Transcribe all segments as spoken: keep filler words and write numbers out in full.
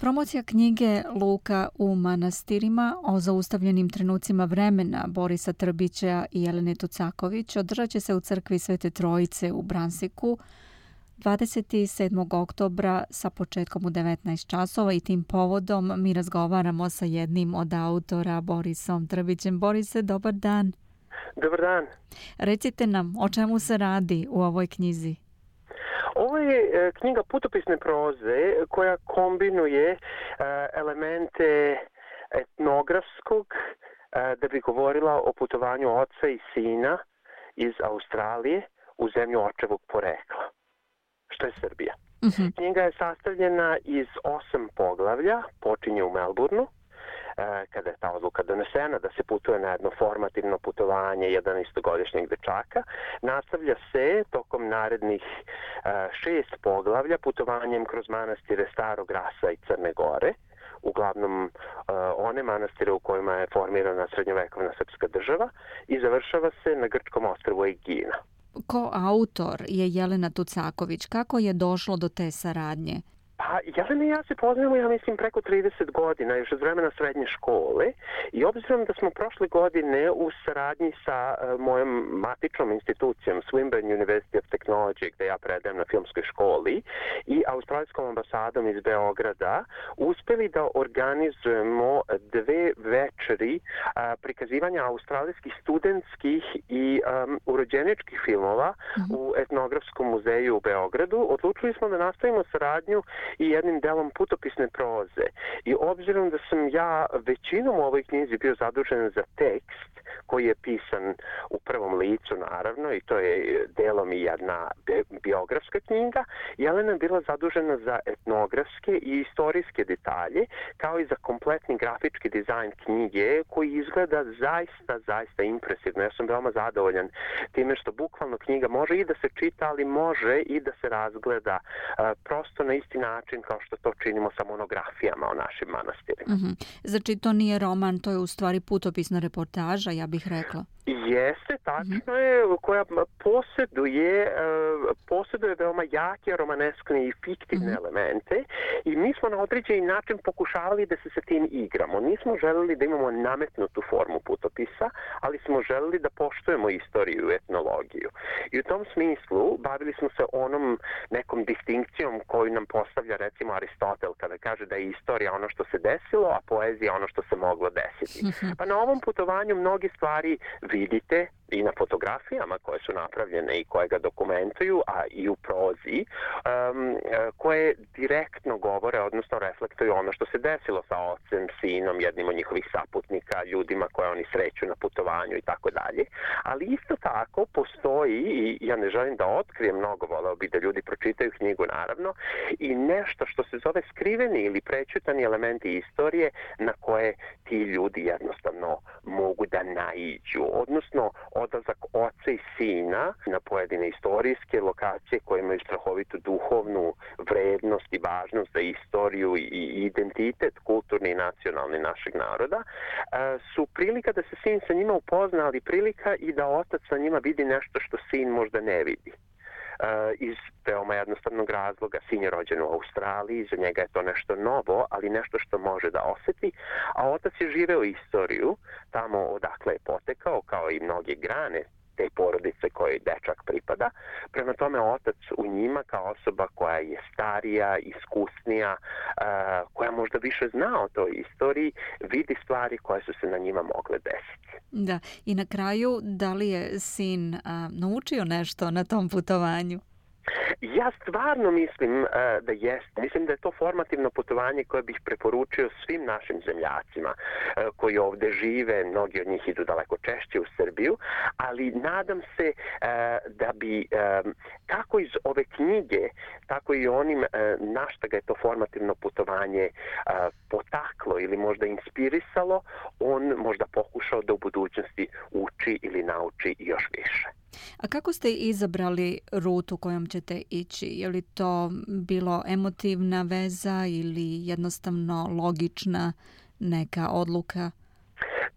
Promocija knjige Luka u manastirima o zaustavljenim trenucima vremena Borisa Trbića i Jelene Tucaković održat će se u crkvi Svete Trojice u Bransiku dvadeset sedmog oktobra sa početkom u devetnaest časova i tim povodom mi razgovaramo sa jednim od autora, Borisom Trbićem. Borise, dobar dan. Dobar dan. Recite nam, o čemu se radi u ovoj knjizi? Ovo je knjiga putopisne proze koja kombinuje elemente etnografskog da bi govorila o putovanju oca i sina iz Australije u zemlju očevog porekla, što je Srbija. Uh-huh. Knjiga je sastavljena iz osam poglavlja, počinje u Melbourneu, kada je ta odluka donesena da se putuje na jedno formativno putovanje jedanaestogodišnjeg dečaka, nastavlja se tokom narednih šest poglavlja putovanjem kroz manastire Starog Rasa i Crne Gore, uglavnom one manastire u kojima je formirana srednjovekovna srpska država, i završava se na grčkom ostrvu Egina. Ko autor je Jelena Tucaković. Kako je došlo do te saradnje? Pa, Jelena i ja se poznajemo, ja mislim, preko trideset godina, još od vremena srednje škole, i obzirom da smo prošle godine u saradnji sa uh, mojom matičnom institucijom Swinburne University of Technology, gde ja predajem na filmskoj školi, i australijskom ambasadom iz Beograda, uspeli da organizujemo dve večeri uh, prikazivanja australijskih studentskih i um, urođeničkih filmova mm-hmm. u etnografskom muzeju u Beogradu. Odlučili smo da nastavimo saradnju i jednim delom putopisne proze. I obzirom da sam ja većinom u ovoj knjizi bio zadužen za tekst koji je pisan u prvom licu, naravno, i to je delom i jedna biografska knjiga, Jelena je bila zadužena za etnografske i istorijske detalje, kao i za kompletni grafički dizajn knjige, koji izgleda zaista, zaista impresivno. Ja sam veoma zadovoljan time što bukvalno knjiga može i da se čita, ali može i da se razgleda uh, prosto na isti način kao što to činimo sa monografijama o našim manastirima. Mm-hmm. Znači, to nije roman, to je u stvari putopisna reportaža, ja bih rekla. Jeste, tačno je, koja posjeduje, posjeduje veoma jake romaneskne i fiktivne mm-hmm. elemente, i mi smo na određeni način pokušavali da se sa tim igramo. Nismo želeli da imamo nametnutu formu putopisa, ali smo želeli da poštujemo istoriju i etnologiju. I u tom smislu bavili smo se onom nekom distinkcijom koju nam postavlja recimo Aristotel kada kaže da je istorija ono što se desilo, a poezija ono što se moglo desiti. Mm-hmm. Pa na ovom putovanju mnogi stvari vidite i na fotografijama koje su napravljene i koje ga dokumentuju, a i u prozi, um, koje direktno govore, odnosno reflektuju ono što se desilo sa ocem, sinom, jednim od njihovih saputnika, ljudima koje oni sreću na putovanju i tako dalje. Ali isto tako postoji, i ja ne želim da otkrijem mnogo, voleo bi da ljudi pročitaju knjigu, naravno, i nešto što se zove skriveni ili prećutani elementi istorije na koje ti ljudi jednostavno mogu da naiđu, odnosno odlazak oca i sina na pojedine istorijske lokacije koje imaju strahovitu duhovnu vrednost i važnost za istoriju i identitet kulturni i nacionalni našeg naroda, su prilika da se sin sa njima upozna, ali prilika i da otac sa njima vidi nešto što sin možda ne vidi. Uh, iz veoma jednostavnog razloga. Sin je rođen u Australiji, za njega je to nešto novo, ali nešto što može da osjeti, a otac je živeo istoriju tamo odakle je potekao, kao i mnoge grane te porodice koje dečak pripada. Prema tome, otac u njima kao osoba koja je starija, iskusnija, uh, koja možda više zna o toj istoriji, vidi stvari koje su se na njima mogle desiti. Da, i na kraju, da li je sin a, naučio nešto na tom putovanju? Ja stvarno mislim uh, da jest. Mislim da je to formativno putovanje koje bih preporučio svim našim zemljacima uh, koji ovdje žive. Mnogi od njih idu daleko češće u Srbiju, ali nadam se uh, da bi um, kako iz ove knjige, tako i onim uh, na što ga je to formativno putovanje uh, potaklo ili možda inspirisalo, on možda pokušao da u budućnosti uči ili nauči još više. A kako ste izabrali rutu kojom ćete ići? Je li to bilo emotivna veza ili jednostavno logična neka odluka?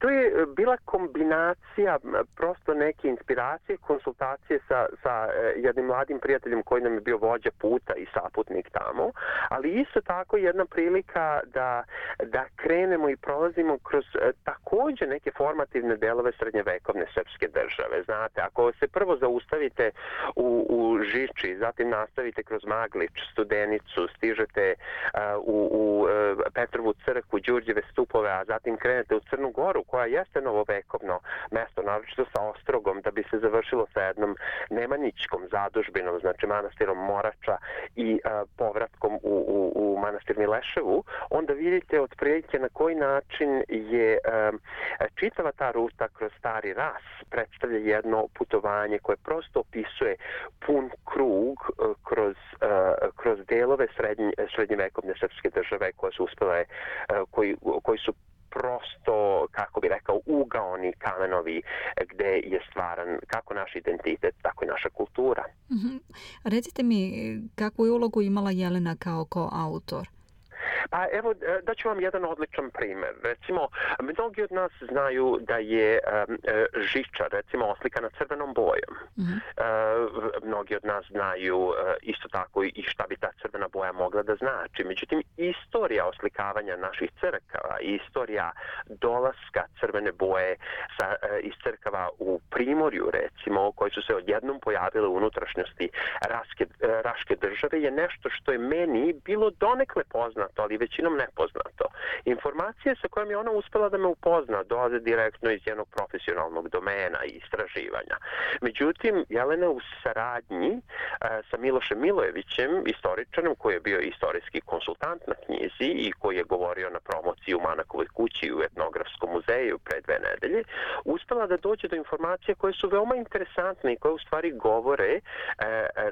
to je bila kombinacija prosto neke inspiracije, konsultacije sa, sa jednim mladim prijateljem koji nam je bio vođa puta i saputnik tamo, ali isto tako jedna prilika da, da krenemo i prolazimo kroz također neke formativne delove srednjevekovne srpske države. Znate, ako se prvo zaustavite u, u Žiči, zatim nastavite kroz Maglič, Studenicu, stižete uh, u, u uh, Petrovu crkvu, Đurđeve stupove, a zatim krenete u Crnu Goru, koja jeste novovekovno mesto, naročito sa ostrogom, da bi se završilo sa jednom nemanjićkom zadužbinom, znači manastirom Morača i uh, povratkom u, u, u manastir Mileševu, onda vidite otprilike na koji način je um, čitava ta ruta kroz Stari Ras predstavlja jedno putovanje koje prosto opisuje pun krug uh, kroz, uh, kroz delove srednje, srednjevekovne srpske države koje su uspjele, uh, koji, koji su prosto, kako bi rekao, ugaoni kamenovi gde je stvaran kako naš identitet, tako i naša kultura. Mm-hmm. Recite mi, kakvu je ulogu imala Jelena kao koautor? Pa evo, daću vam jedan odličan primjer. Recimo, mnogi od nas znaju da je um, Žiča, recimo, oslikana crvenom bojom. Mm-hmm. Uh, mnogi od nas znaju uh, isto tako i šta bi ta crvena boja mogla da znači. Međutim, istorija oslikavanja naših crkava i istorija dolaska crvene boje sa, uh, iz crkava u Primorju, recimo, koji su se odjednom pojavile u unutrašnjosti Raške, uh, Raške države, je nešto što je meni bilo donekle poznato, ali većinom nepoznato. Informacije sa kojom je ona uspela da me upozna dolaze direktno iz jednog profesionalnog domena i istraživanja. Međutim, Jelena u saradnji e, sa Milošem Milojevićem, istoričarom koji je bio istorijski konsultant na knjizi i koji je govorio na promociji u Manakovoj kući u etnografskom muzeju pre dve nedelje, uspela da dođe do informacije koje su veoma interesantne i koje u stvari govore e,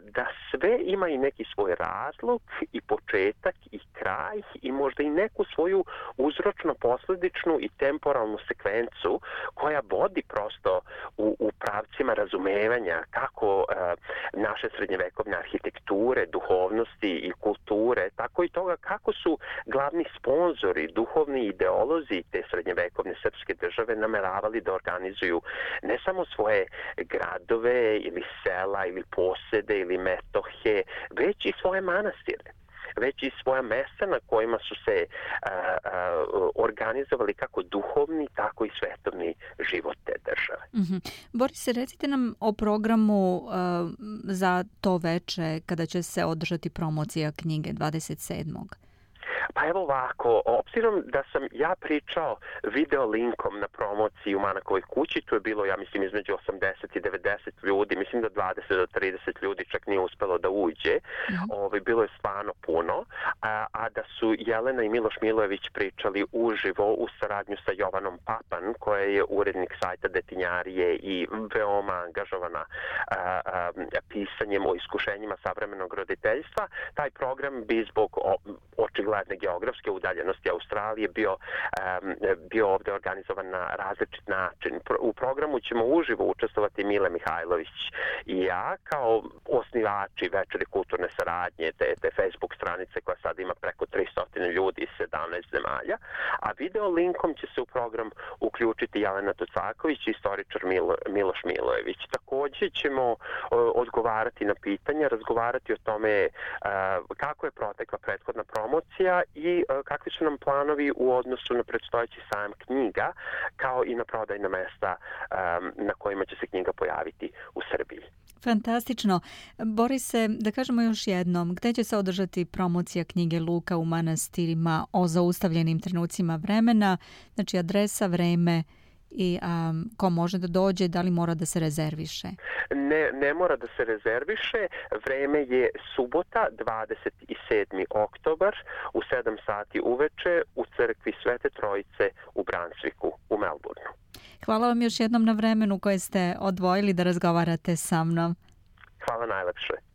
da sve ima i neki svoj razlog i početak i kraj i možda i neku svoju uzročno-posledičnu i temporalnu sekvencu koja vodi prosto u, u pravcima razumevanja kako uh, naše srednjevekovne arhitekture, duhovnosti i kulture, tako i toga kako su glavni sponzori, duhovni ideolozi te srednjevekovne srpske države nameravali da organizuju ne samo svoje gradove ili sela ili posede ili metohe, već i svoje manastire, već i svoja mesta na kojima su se a, a, organizovali kako duhovni, tako i svetovni život te države. Mm-hmm. Boris, recite nam o programu uh, za to veče kada će se održati promocija knjige dvadeset sedmog Pa evo ovako, obzirom da sam ja pričao video linkom na promociji u Manakovoj kući, tu je bilo, ja mislim, između osamdeset i devedeset ljudi, mislim da dvadeset do trideset ljudi čak nije uspelo da uđe, mm-hmm. Ovo, bilo je stvarno puno, a, a da su Jelena i Miloš Milojević pričali uživo u saradnju sa Jovanom Papan, koja je urednik sajta Detinjarije i veoma angažovana a, a, pisanjem o iskušenjima savremenog roditeljstva. Taj program bi zbog o, očigledne geografske udaljenosti Australije bio, um, bio ovdje organizovan na različit način. U programu ćemo uživo učestvovati Mile Mihajlović i ja kao osnivači Večeri kulturne saradnje, te, te Facebook stranice koja sad ima preko tristo ljudi iz sedamnaest zemalja, a video linkom će se u program uključiti Jelena Tucaković i istoričar Milo, Miloš Milojević. Također ćemo uh, odgovarati na pitanja, razgovarati o tome uh, kako je protekla prethodna promocija i uh, kakvi su nam planovi u odnosu na predstojeći sajam knjiga, kao i na prodajna mesta um, na kojima će se knjiga pojaviti u Srbiji. Fantastično. Borise, da kažemo još jednom, gde će se održati promocija knjige Luka u manastirima o zaustavljenim trenucima vremena, znači adresa, vreme i um, ko može da dođe, da li mora da se rezerviše? Ne, ne mora da se rezerviše. Vreme je subota, dvadeset sedmi oktobar u sedam sati uveče u crkvi Svete Trojice u Brunswicku u Melbourneu. Hvala vam još jednom na vremenu koje ste odvojili da razgovarate sa mnom. Hvala najlepše.